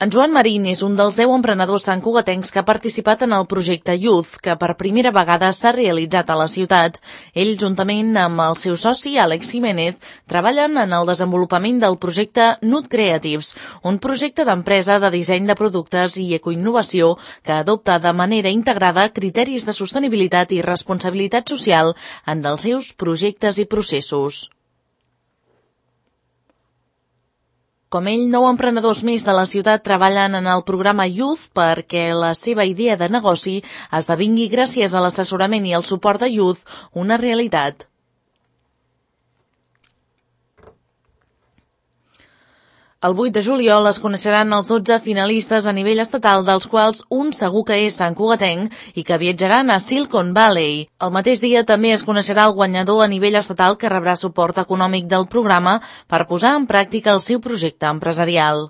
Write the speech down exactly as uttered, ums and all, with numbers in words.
En Joan Marín és un dels deu emprenedors santcugatencs que ha participat en el projecte Youth, que per primera vegada s'ha realitzat a la ciutat. Ell, juntament amb el seu soci, Àlex Jiménez, treballen en el desenvolupament del projecte Nut Creatives, un projecte d'empresa de disseny de productes i ecoinnovació que adopta de manera integrada criteris de sostenibilitat i responsabilitat social en els seus projectes i processos. Com ell, nou emprenedors més de la ciutat treballen en el programa Youth perquè la seva idea de negoci esdevingui, gràcies a l'assessorament i el suport de Youth, una realitat. El vuit de juliol es coneixeran els dotze finalistes a nivell estatal, dels quals un segur que és santcugatenc i que viatjaran a Silicon Valley. El mateix dia també es coneixerà el guanyador a nivell estatal, que rebrà suport econòmic del programa per posar en pràctica el seu projecte empresarial.